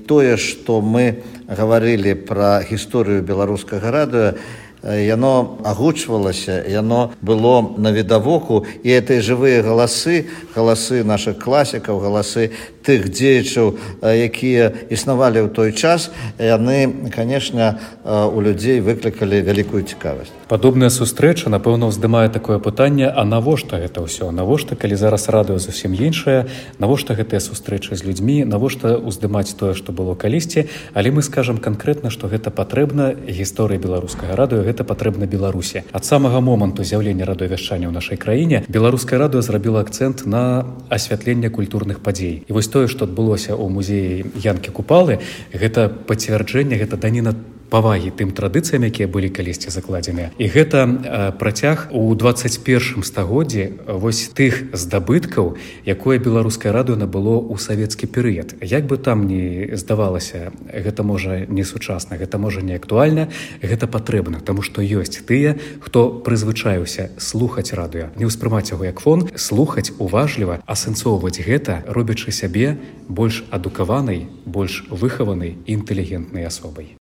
тое, што мы гаварылі пра гісторыю беларускага радыё, яно агучвалася, яно было навідавоку, і гэтыя жывыя галасы нашых класікаў, галасы тых дзеячаў, якія існавалі ў той час, яны, канешне, у людзей выклікалі вялікую цікавасць. Падобная сустрэча, напэўна, уздымае такое пытанне, а навошта гэта ўсё? Навошта, калі зараз радыё зусім іншае, навошта гэтыя сустрэчы з людзьмі, навошта уздымаць тое, што было калісьці, але мы скажам канкрэтна, што гэта патрэбна гісторыі беларускага радыё, гэта патрэбна Беларусі. Ад самага моманту з'яўлення радыёвяшчання ў нашай краіне беларускае радыё зрабіла акцэнт на асвятленне культурных падзей. І вось тое, што адбылося ў музеі Янкі Купалы, гэта пацвярджэнне, гэта даніна павагі тым традыцыям, якія былі калісьці закладзеныя. І гэта працяг у 21 стагоддзі вось тых здабыткаў, якое беларускае радыё набыло ў савецкі перыяд. Як бы там ні здавалася, гэта можа не сучасна, гэта можа не актуальна, гэта патрэбна, таму што ёсць тыя, хто прызвычаіўся слухаць радыё, не ўспрымаць яго як фон, слухаць уважліва, асэнсоўваць гэта, робячы сябе больш адукаванай, больш выхаванай і інтэлігентнай асобай.